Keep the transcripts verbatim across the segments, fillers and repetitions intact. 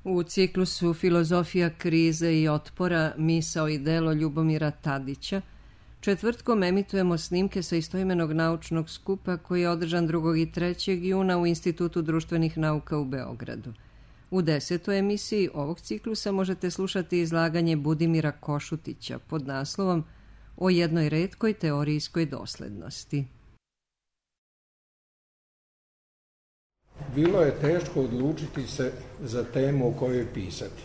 U ciklusu Filozofija krize i otpora, misao i delo Ljubomira Tadića, četvrtkom emitujemo snimke sa istoimenog naučnog skupa koji je održan drugog i trećeg juna u Institutu društvenih nauka u Beogradu. U desetoj emisiji ovog ciklusa možete slušati izlaganje Budimira Košutića pod naslovom O jednoj retkoj teorijskoj doslednosti. Bilo je teško odlučiti se za temu o kojoj pisati.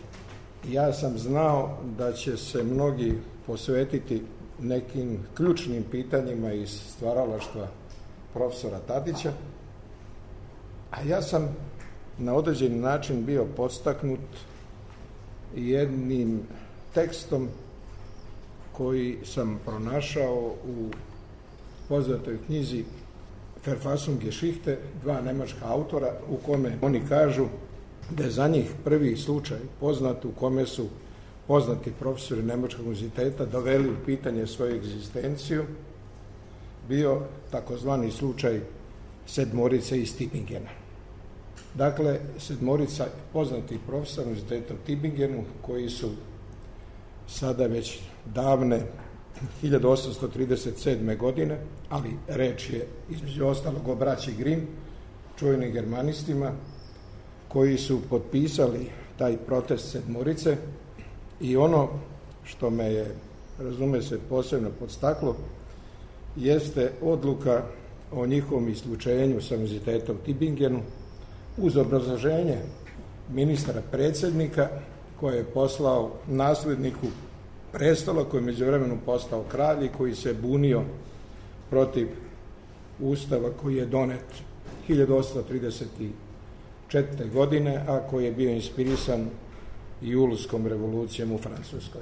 Ja sam znao da će se mnogi posvetiti nekim ključnim pitanjima iz stvaralaštva profesora Tadića, a ja sam na određeni način bio podstaknut jednim tekstom koji sam pronašao u poznatoj knjizi Verfassungsgeschichte, dva nemačka autora, u kome oni kažu da je za njih prvi slučaj poznat u kome su poznati profesori Nemačkog univerziteta doveli u pitanje svoju egzistenciju, bio takozvani slučaj sedmorice iz Tübingena. Dakle, sedmorica poznatih profesora univerziteta u Tübingenu, koji su sada već davne hiljadu osamsto trideset sedme. godine, ali reč je između ostalog o braći Grimm, čuvenim germanistima, koji su potpisali taj protest sedmorice i ono što me je, razume se, posebno podstaklo, jeste odluka o njihovom isključenju sa univerziteta u Tübingenu uz obrazloženje ministra predsjednika koje je poslao nasledniku prestola koji je međuvremenu postao kralj i koji se bunio protiv ustava koji je donet hiljadu osamsto trideset četvrte. godine, a koji je bio inspirisan Julskom revolucijom u Francuskoj.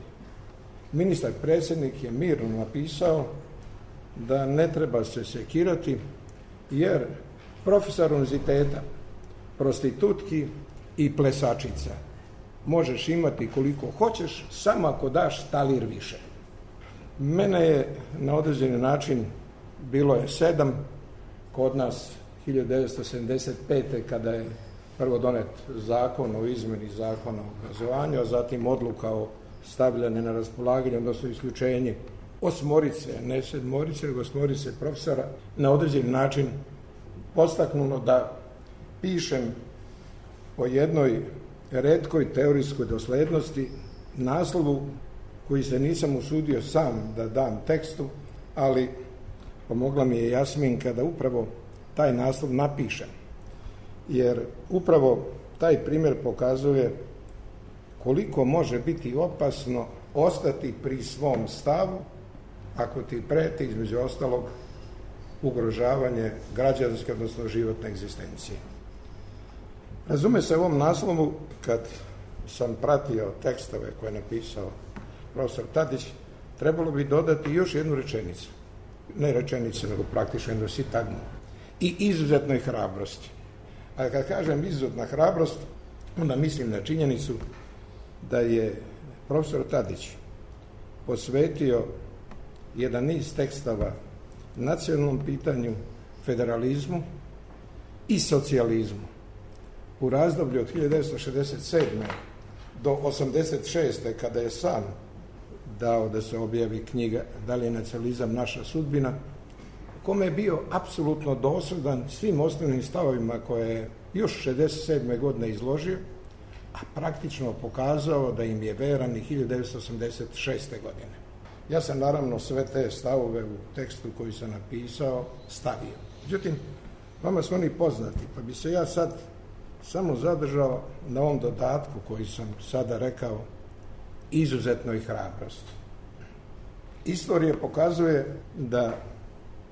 Ministar predsjednik je mirno napisao da ne treba se sekirati jer profesor univerziteta, prostitutki i plesačica možeš imati koliko hoćeš, samo ako daš talir više. Mene je na određeni način, bilo je sedam, kod nas hiljadu devetsto sedamdeset pete. kada je prvo donet zakon o izmjeni zakona o obrazovanju, a zatim odluka o stavljanju na raspolaganje, odnosno isključenje osmorice, ne sedmorice, nego osmorice profesora, na određeni način podstaknulo da pišem o jednoj retkoj teorijskoj doslednosti, naslovu koji se nisam usudio sam da dam tekstu, ali pomogla mi je Jasminka da upravo taj naslov napišem. Jer upravo taj primjer pokazuje koliko može biti opasno ostati pri svom stavu ako ti preti, između ostalog, ugrožavanje građanske, odnosno životne egzistencije. Razume se u ovom naslovu, kad sam pratio tekstove koje je napisao profesor Tadić, trebalo bi dodati još jednu rečenicu. Ne rečenicu, nego praktično jednu sintagmu. I izuzetnoj hrabrosti. A kad kažem izuzetna hrabrost, onda mislim na činjenicu da je profesor Tadić posvetio jedan niz tekstova nacionalnom pitanju, federalizmu i socijalizmu. U razdoblju od hiljadu devetsto šezdeset sedme. do osamdeset šeste. kada je sam dao da se objavi knjiga Da li je nacionalizam naša sudbina, kome je bio apsolutno dosledan svim osnovnim stavovima koje je još šezdeset sedme. godine izložio, a praktično pokazao da im je veran i hiljadu devetsto osamdeset šeste. godine. Ja sam naravno sve te stavove u tekstu koji sam napisao stavio. Međutim, vama su oni poznati, pa bi se ja sad samo zadržao na ovom dodatku koji sam sada rekao, izuzetnoj hrabrosti. Istorija pokazuje da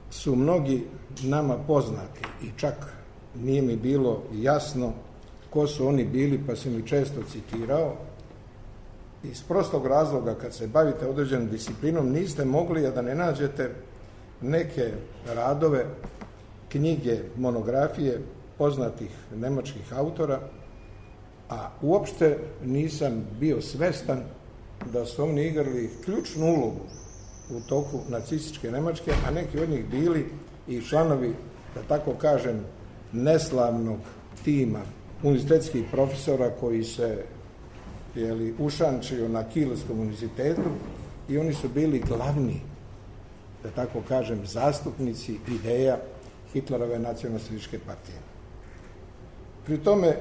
su mnogi nama poznati i čak nije mi bilo jasno ko su oni bili, pa sam ih često citirao. Iz prostog razloga, kad se bavite određenom disciplinom, niste mogli a da ne nađete neke radove, knjige, monografije poznatih nemačkih autora, a uopšte nisam bio svestan da su oni igrali ključnu ulogu u toku nacističke Nemačke, a neki od njih bili i članovi, da tako kažem, neslavnog tima univerzitetskih profesora koji se jeli, ušančio na Kielskom univerzitetu i oni su bili glavni, da tako kažem, zastupnici ideja Hitlerove nacionalističke partije. Pri tome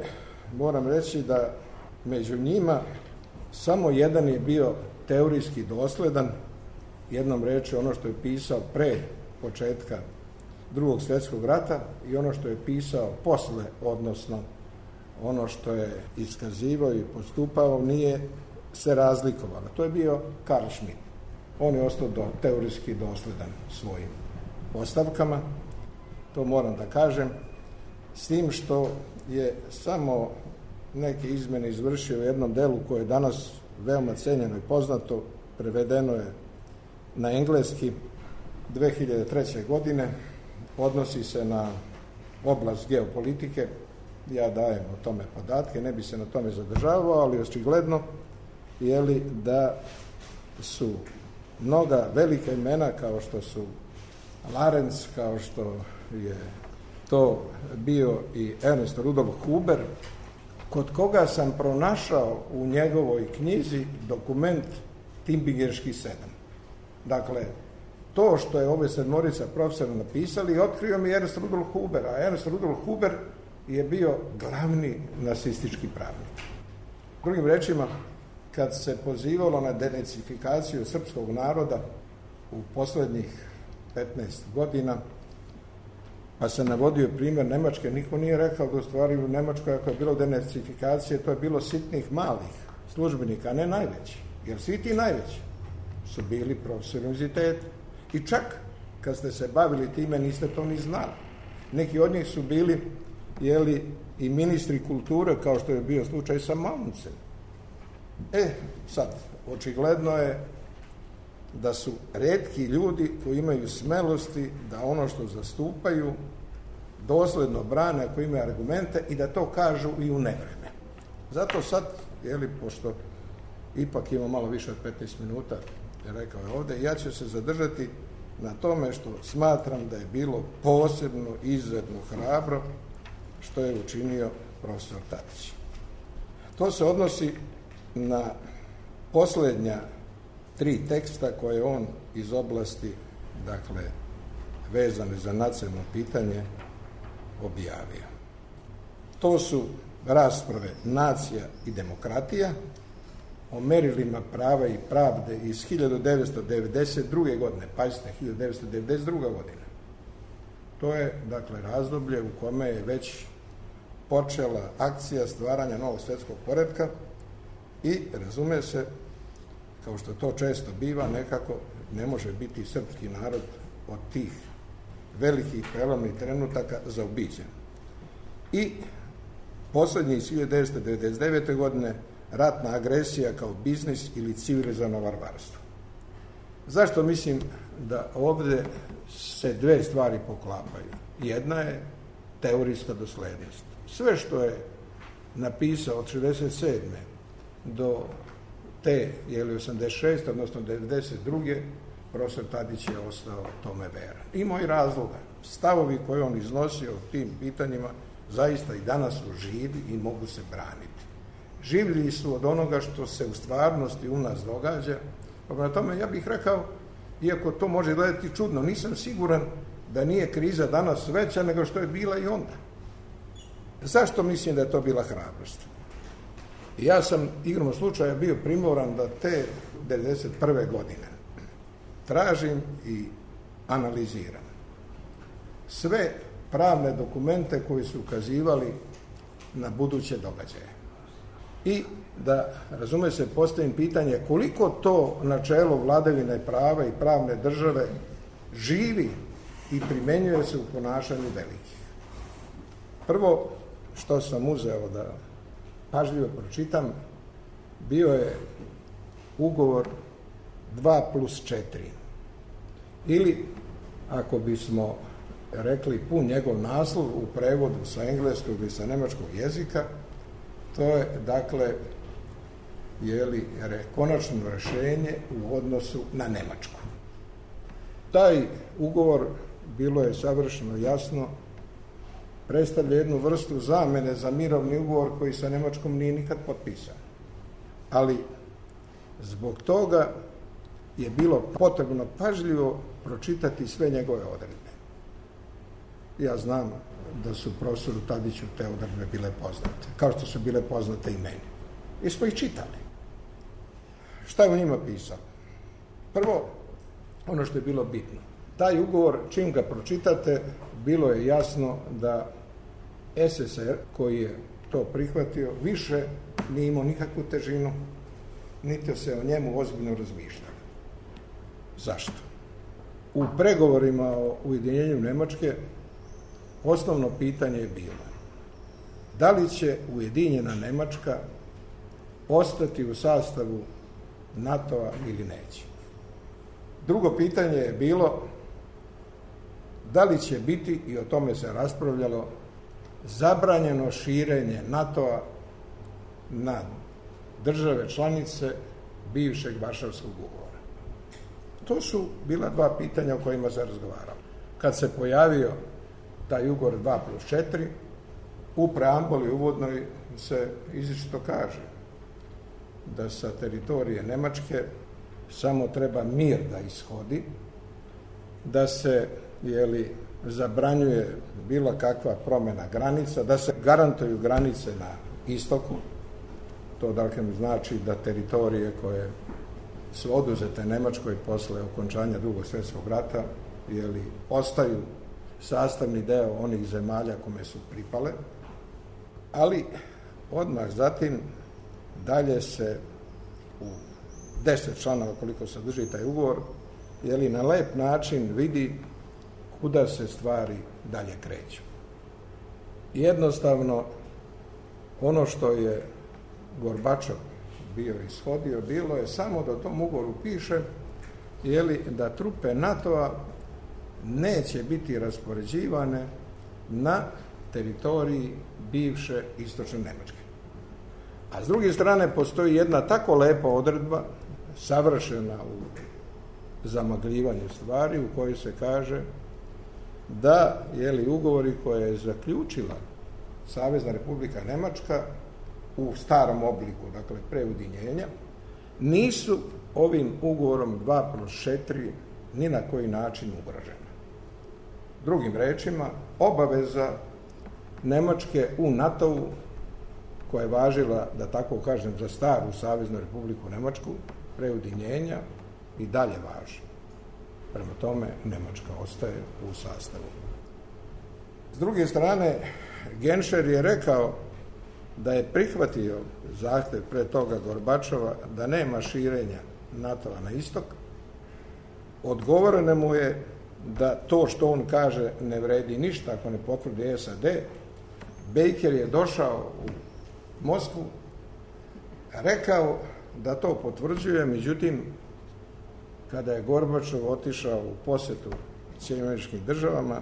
moram reći da među njima samo jedan je bio teorijski dosledan, jednom reći ono što je pisao pre početka Drugog svjetskog rata i ono što je pisao posle, odnosno ono što je iskazivao i postupao nije se razlikovalo. To je bio Karl Schmitt. On je ostao do, teorijski dosledan svojim postavkama, to moram da kažem, s tim što je samo neke izmjene izvršio u jednom delu koje je danas veoma cenjeno i poznato, prevedeno je na engleski dve hiljade treće. godine, odnosi se na oblast geopolitike, ja dajem o tome podatke, ne bi se na tome zadržavao, ali očigledno je li da su mnoga velika imena kao što su Lorenz, kao što je to bio i Ernst Rudolf Huber, kod koga sam pronašao u njegovoj knjizi dokument Timbingerški sedam. Dakle, to što je ove sedmorica profesora napisali, otkrio mi Ernst Rudolf Huber, a Ernst Rudolf Huber je bio glavni nacistički pravnik. Drugim rečima, kad se pozivalo na denacifikaciju srpskog naroda u posljednjih petnaest godina, pa se navodio primjer Nemačke, niko nije rekao da u stvari u Nemačkoj ako je bilo denacifikacije, to je bilo sitnih malih službenika, a ne najveći. Jer svi ti najveći su bili profesori univerziteta. I čak kad ste se bavili time niste to ni znali. Neki od njih su bili jeli, i ministri kulture, kao što je bio slučaj sa Mauncem. E, sad, očigledno je da su retki ljudi koji imaju smelosti da ono što zastupaju dosledno brane ako imaju argumente i da to kažu i u nevreme. Zato sad, jeli, pošto ipak ima malo više od petnaest minuta, rekao je ovdje, ja ću se zadržati na tome što smatram da je bilo posebno, izuzetno hrabro što je učinio profesor Tadić. To se odnosi na posljednja tri teksta koje on iz oblasti, dakle, vezane za nacionalno pitanje, objavio. To su rasprave Nacija i demokratija o merilima prava i pravde iz hiljadu devetsto devedeset druge. godine. Pazite, hiljadu devetsto devedeset druga. godina. To je, dakle, razdoblje u kome je već počela akcija stvaranja novog svjetskog poretka i, razume se, kao što to često biva, nekako ne može biti srpski narod od tih velikih prelomnih trenutaka zaobiđen. I posljednji iz hiljadu devetsto devedeset devete. godine ratna agresija kao biznis ili civilizovano varvarstvo. Zašto mislim da ovdje se dve stvari poklapaju? Jedna je teorijska doslednost. Sve što je napisao od šezdeset sedme do te, jeli osamdeset šeste. odnosno devedeset druge. profesor Tadić je ostao tome veran. Ima i razloga. Stavovi koje on iznosio o tim pitanjima zaista i danas su živi i mogu se braniti. Življi su od onoga što se u stvarnosti u nas događa. Pa na tome ja bih rekao, iako to može gledati čudno, nisam siguran da nije kriza danas veća nego što je bila i onda. Zašto mislim da je to bila hrabrost? Ja sam igrom slučaja bio primoran da te devedeset prve. godine tražim i analiziram sve pravne dokumente koji su ukazivali na buduće događaje. I da, razume se, postavim pitanje koliko to načelo vladavine prava i pravne države živi i primjenjuje se u ponašanju velikih. Prvo što sam uzeo da pažljivo pročitam, bio je ugovor dva plus četiri. Ili, ako bismo rekli pun njegov naslov u prevodu sa engleskog ili sa nemačkog jezika, to je, dakle, jeli, konačno rješenje u odnosu na Nemačku. Taj ugovor, bilo je savršeno jasno, predstavlja jednu vrstu zamene za mirovni ugovor koji sa Njemačkom nije nikad potpisan. Ali zbog toga je bilo potrebno pažljivo pročitati sve njegove odredbe. Ja znam da su profesoru Tadiću te odredbe bile poznate, kao što su bile poznate i meni. I smo ih čitali. Šta je u njima pisao? Prvo, ono što je bilo bitno. Taj ugovor, čim ga pročitate, bilo je jasno da es es er, koji je to prihvatio, više nije imao nikakvu težinu, niti se o njemu ozbiljno razmišljalo. Zašto? U pregovorima o ujedinjenju Njemačke osnovno pitanje je bilo da li će ujedinjena Njemačka ostati u sastavu NATO-a ili neće. Drugo pitanje je bilo da li će biti, i o tome se raspravljalo, zabranjeno širenje NATO-a na države članice bivšeg Varšavskog ugovora. To su bila dva pitanja o kojima se razgovaralo. Kad se pojavio taj ugovor dva plus četiri, u preambuli uvodnoj se izričito kaže da sa teritorije Njemačke samo treba mir da ishodi, da se jeli, zabranjuje bilo kakva promjena granica, da se garantuju granice na istoku. To dakle znači da teritorije koje su oduzete Njemačkoj posle okončanja Drugog svjetskog rata jeli, ostaju sastavni deo onih zemalja kome su pripale, ali odmah zatim dalje se u deset članova koliko sadrži taj ugovor, jeli, na lep način vidi kuda se stvari dalje kreću. Jednostavno, ono što je Gorbačov bio ishodio, bilo je samo da u tom ugovoru piše jeli, da trupe NATO-a neće biti raspoređivane na teritoriji bivše istočne Njemačke. A s druge strane postoji jedna tako lepa odredba, savršena u zamagljivanju stvari, u kojoj se kaže da jeli, ugovori koje je zaključila Savezna Republika Njemačka u starom obliku, dakle pre ujedinjenja, nisu ovim ugovorom dva plus četiri ni na koji način ugrožene. Drugim rečima, obaveza Njemačke u NATO-u, koja je važila, da tako kažem, za staru Saveznu Republiku Njemačku, pre ujedinjenja, i dalje važi. Prema tome, Njemačka ostaje u sastavu. S druge strane, Genscher je rekao da je prihvatio zahtjev pre toga Gorbačova da nema širenja NATO-a na istok. Odgovoreno mu je da to što on kaže ne vredi ništa ako ne potvrdi es a de. Baker je došao u Moskvu, rekao da to potvrđuje, međutim, kada je Gorbačov otišao u posjetu Sjedinjenim Američkim Državama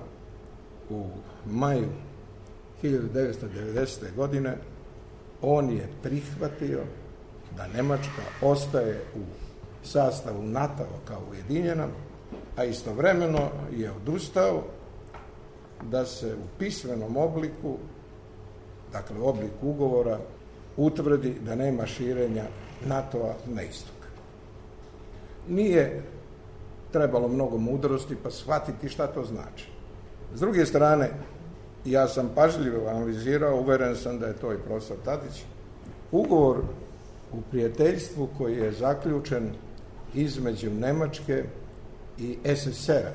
u maju hiljadu devetsto devedesete. godine, on je prihvatio da Njemačka ostaje u sastavu NATO-a kao ujedinjena, a istovremeno je odustao da se u pismenom obliku, dakle u obliku ugovora, utvrdi da nema širenja NATO-a na istok. Nije trebalo mnogo mudrosti pa shvatiti šta to znači. S druge strane, ja sam pažljivo analizirao, uveren sam da je to i profesor Tadić, ugovor u prijateljstvu koji je zaključen između Njemačke i es es er a,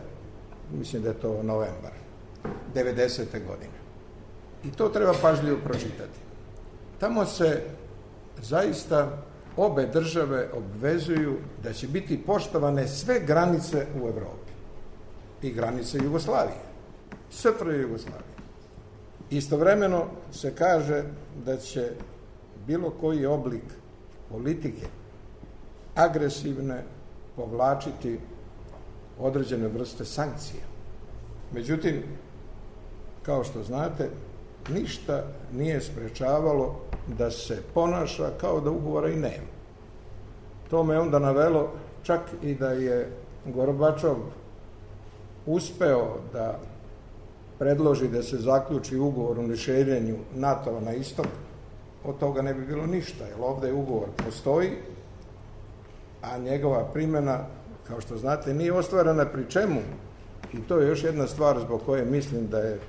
mislim da je to novembar devedesete. godine. I to treba pažljivo pročitati. Tamo se zaista obe države obvezuju da će biti poštovane sve granice u Evropi i granice Jugoslavije, S F R J Jugoslavije. Istovremeno se kaže da će bilo koji oblik politike agresivne povlačiti određene vrste sankcija. Međutim, kao što znate, ništa nije sprečavalo da se ponaša kao da ugovora i nema. To me onda navelo čak i da je Gorbačov uspeo da predloži da se zaključi ugovor o neširenju NATO-a na istok, od toga ne bi bilo ništa, jer ovdje ugovor postoji, a njegova primjena, kao što znate, nije ostvarena, pri čemu, i to je još jedna stvar zbog koje mislim da je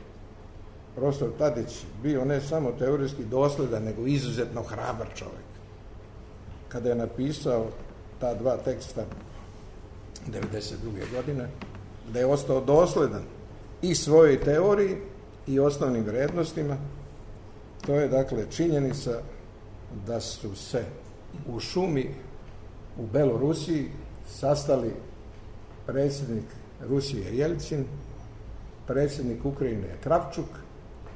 profesor Tadić bio ne samo teorijski dosledan, nego izuzetno hrabar čovjek. Kada je napisao ta dva teksta devedeset druge godine, da je ostao dosledan i svojoj teoriji i osnovnim vrijednostima. To je dakle činjenica da su se u šumi u Belorusiji sastali predsjednik Rusije Jelcin, predsjednik Ukrajine Kravčuk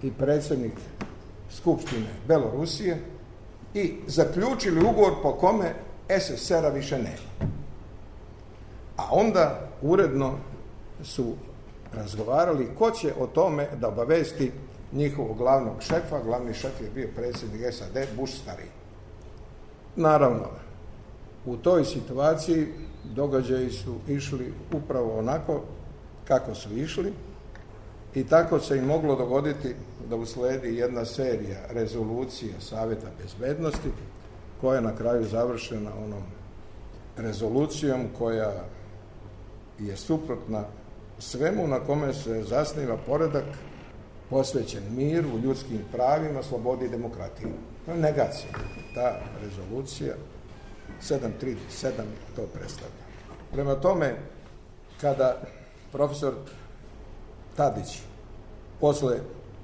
i predsjednik Skupštine Belorusije i zaključili ugovor po kome es es er a više nema. A onda uredno su razgovarali ko će o tome da obavesti njihovog glavnog šefa. Glavni šef je bio predsjednik es a de Bush stariji. Naravno, u toj situaciji događaji su išli upravo onako kako su išli i tako se i moglo dogoditi da usledi jedna serija rezolucija Savjeta bezbednosti koja je na kraju završena onom rezolucijom koja je suprotna svemu na kome se zasniva poredak posvećen miru, ljudskim pravima, slobodi i demokratiji. To je negacija. Ta rezolucija sedam trideset sedam to predstavlja. Prema tome, kada profesor Tadić posle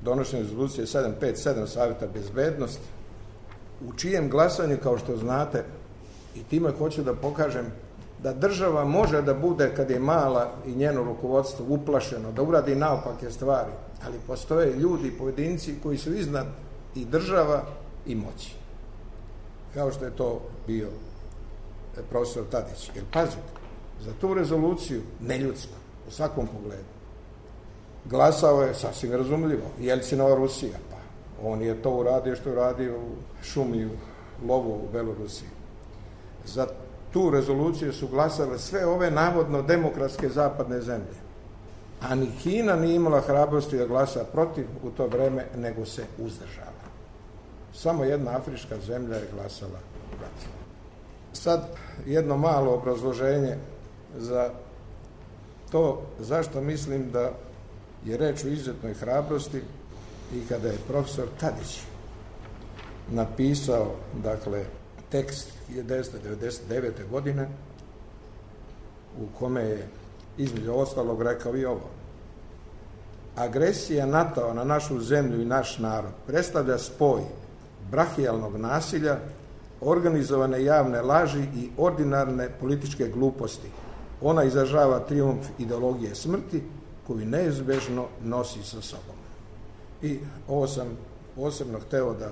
donošenja rezolucije sedam pet sedam Savjeta bezbednosti, u čijem glasanju, kao što znate, i time hoću da pokažem da država može da bude, kad je mala i njeno rukovodstvo uplašeno, da uradi naopake stvari, ali postoje ljudi, pojedinci koji su iznad i država i moći. Kao što je to bio profesor Tadić. Jer pazite, za tu rezoluciju, neljudsku, u svakom pogledu, glasao je sasvim razumljivo Jelcinova Rusija, pa on je to uradio što je uradio u šumi, u lovu u Belorusiji. Za tu rezoluciju su glasale sve ove navodno demokratske zapadne zemlje. A ni Kina nije imala hrabrosti da glasa protiv u to vreme, nego se uzdržala. Samo jedna afrička zemlja je glasala protiv. Sad jedno malo obrazloženje za to zašto mislim da je reč o izuzetnoj hrabrosti i kada je profesor Tadić napisao, dakle, tekst hiljadu devetsto devedeset devete. godine u kome je između ostalog rekao i ovo: agresija NATO-a na našu zemlju i naš narod predstavlja spoj brahijalnog nasilja, organizovane javne laži i ordinarne političke gluposti. Ona izražava trijumf ideologije smrti koju neizbežno nosi sa sobom. I ovo sam posebno hteo da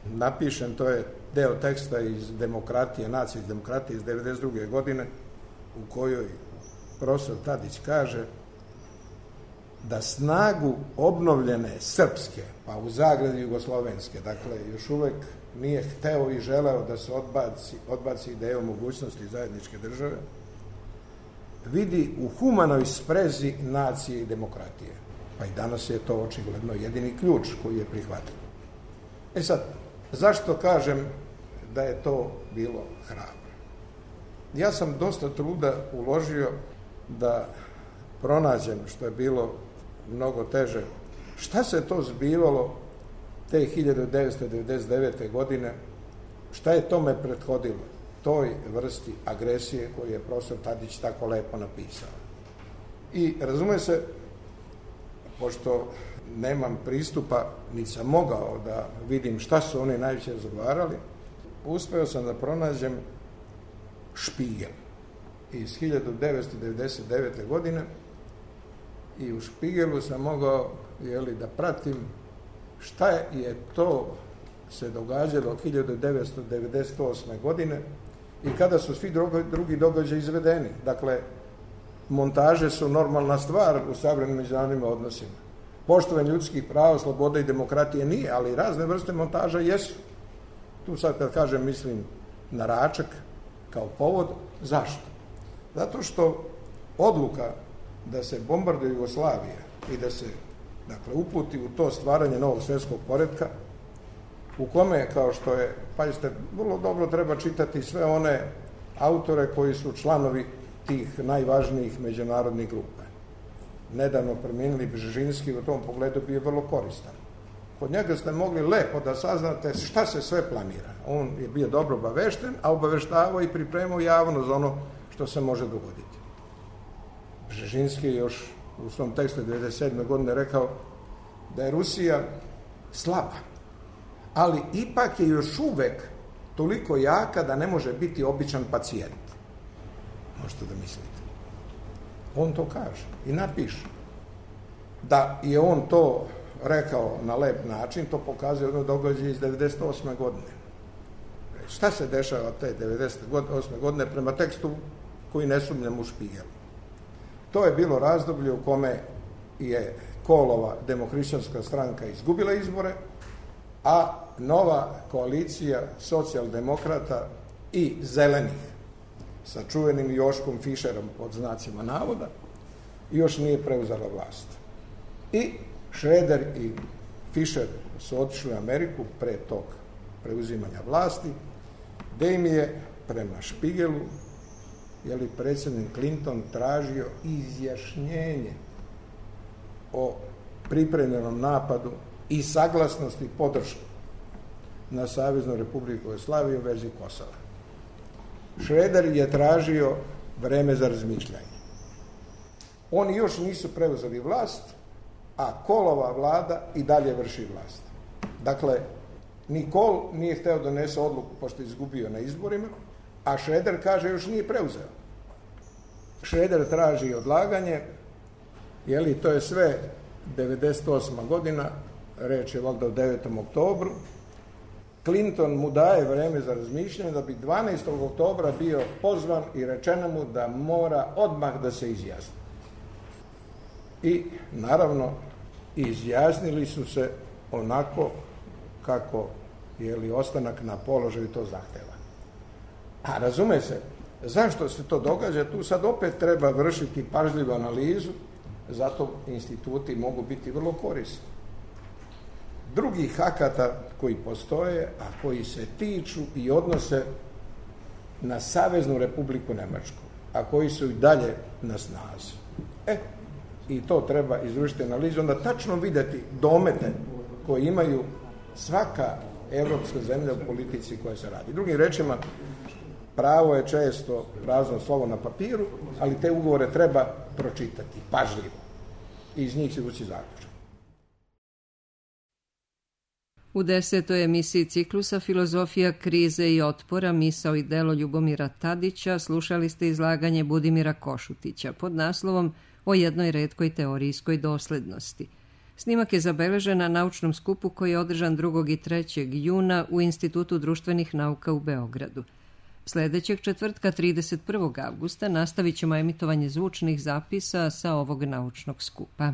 napišem, to je deo teksta iz Demokratije, nacije iz Demokratije iz devedeset druge. godine, u kojoj profesor Tadić kaže da snagu obnovljene srpske, pa u zagradi jugoslovenske, dakle još uvek nije hteo i želeo da se odbaci, odbaci ideja o mogućnosti zajedničke države, vidi u humanoj sprezi nacije i demokratije. Pa i danas je to očigledno jedini ključ koji je prihvatljiv. E sad, zašto kažem da je to bilo hrabro? Ja sam dosta truda uložio da pronađem, što je bilo mnogo teže, šta se to zbivalo te hiljadu devetsto devedeset devete. godine, šta je tome prethodilo, toj vrsti agresije koju je profesor Tadić tako lepo napisao. I razume se, pošto nemam pristupa, niti sam mogao da vidim šta su oni najviše razgovarali, uspeo sam da pronađem Špigel iz hiljadu devetsto devedeset devete. godine i u Špigelu sam mogao, jeli, da pratim šta je to se događalo hiljadu devetsto devedeset osme. godine i kada su svi drugi događaji izvedeni. Dakle, montaže su normalna stvar u savremenim međunarodnim odnosima. Poštovanje ljudskih prava, slobode i demokratije nije, ali razne vrste montaža jesu. Tu sad kad kažem mislim na Račak kao povod. Zašto? Zato što odluka da se bombarduje Jugoslavija i da se dakle, uputi u to stvaranje novog svjetskog poretka, u kome, kao što je, pazite, vrlo dobro treba čitati sve one autore koji su članovi tih najvažnijih međunarodnih grupa. Nedavno preminuli Bžežinski u tom pogledu bio vrlo koristan. Kod njega ste mogli lepo da saznate šta se sve planira. On je bio dobro obavešten, a obaveštavao i pripremao javno za ono što se može dogoditi. Bžežinski je još u svom tekstu devedeset sedme godine rekao da je Rusija slaba, ali ipak je još uvek toliko jaka da ne može biti običan pacijent. Možete da mislite. On to kaže i napiše. Da je on to rekao na lep način, to pokazuje ono događaj iz devedeset osme godine. Šta se dešava te devedeset osme godine prema tekstu koji ne sumnjam u Špigelu? To je bilo razdoblje u kome je Kohlova demohrišćanska stranka izgubila izbore, a nova koalicija socijaldemokrata i zelenih sa čuvenim Joškom Fišerom pod znacima navoda još nije preuzela vlast. I Šreder i Fišer su otišli u Ameriku pre tog preuzimanja vlasti, gde im je prema Špigelu je li predsjednik Clinton tražio izjašnjenje o pripremljenom napadu i saglasnost i podršku na Saveznu Republiku Jugoslaviju u vezi Kosova. Šreder je tražio vreme za razmišljanje. Oni još nisu preuzeli vlast, a Kohlova vlada i dalje vrši vlast. Dakle, ni Kohl nije hteo da donese odluku pošto je izgubio na izborima, a Šreder kaže još nije preuzeo. Šreder traži odlaganje, jeli, to je sve devedeset osma godina, reč je valjda o devetom oktobru. Clinton mu daje vreme za razmišljanje da bi dvanaestog oktobra bio pozvan i rečeno mu da mora odmah da se izjasni. I naravno izjasnili su se onako kako je li ostanak na položaju to zahteva. A razume se, zašto se to događa? Tu sad opet treba vršiti pažljivu analizu, zato instituti mogu biti vrlo korisni. Drugih akata koji postoje, a koji se tiču i odnose na Saveznu Republiku Nemačku, a koji su i dalje na snazi. E, i to treba izvršiti analizu, onda tačno videti domete koje imaju svaka evropska zemlja u politici koja se radi. Drugim rečima, pravo je često prazno slovo na papiru, ali te ugovore treba pročitati pažljivo i iz njih se vući zaključak. U desetoj emisiji ciklusa Filozofija krize i otpora, misao i delo Ljubomira Tadića slušali ste izlaganje Budimira Košutića pod naslovom O jednoj retkoj teorijskoj doslednosti. Snimak je zabeležen na naučnom skupu koji je održan drugog i trećeg juna u Institutu društvenih nauka u Beogradu. Sljedećeg četvrtka, trideset prvog avgusta, nastavit ćemo emitovanje zvučnih zapisa sa ovog naučnog skupa.